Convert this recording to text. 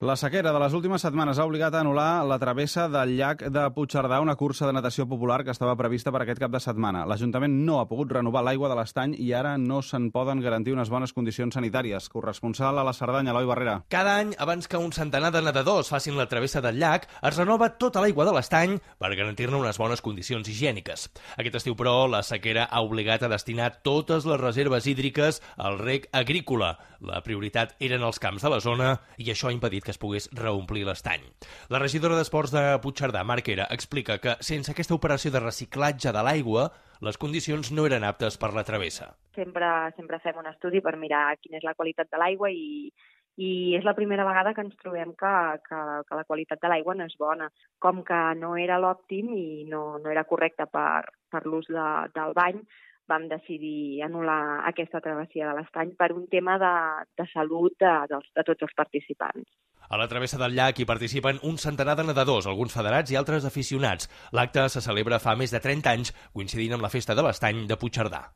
La sequera de les últimes setmanes ha obligat a anul·lar la travessa del llac de Puigcerdà, una cursa de natació popular que estava prevista per aquest cap de setmana. L'Ajuntament no ha pogut renovar l'aigua de l'estany i ara no se'n poden garantir unes bones condicions sanitàries. Corresponsal a la Cerdanya, Eloi Barrera. Cada any, abans que un centenar de nedadors facin la travessa del llac, es renova tota l'aigua de l'estany per garantir-ne unes bones condicions higièniques. Aquest estiu, però, la sequera ha obligat a destinar totes les reserves hídriques al reg agrícola. La prioritat eren els camps de la zona i això ha impedit que es pogués reomplir l'estany. La regidora d'Esports de Puigcerdà, Marquera, explica que sense aquesta operació de reciclatge de l'aigua, les condicions no eren aptes per la travessa. Sempre fem un estudi per mirar quina és la qualitat de l'aigua i és la primera vegada que ens trobem que la qualitat de l'aigua no és bona. Com que no era l'òptim i no era correcte per l'ús del bany, vam decidir anul·lar aquesta travessia de l'estany per un tema de salut de tots els participants. A la travessa del llac hi participen un centenar de nedadors, alguns federats i altres aficionats. L'acte se celebra fa més de 30 anys, coincidint amb la Festa de l'Estany de Puigcerdà.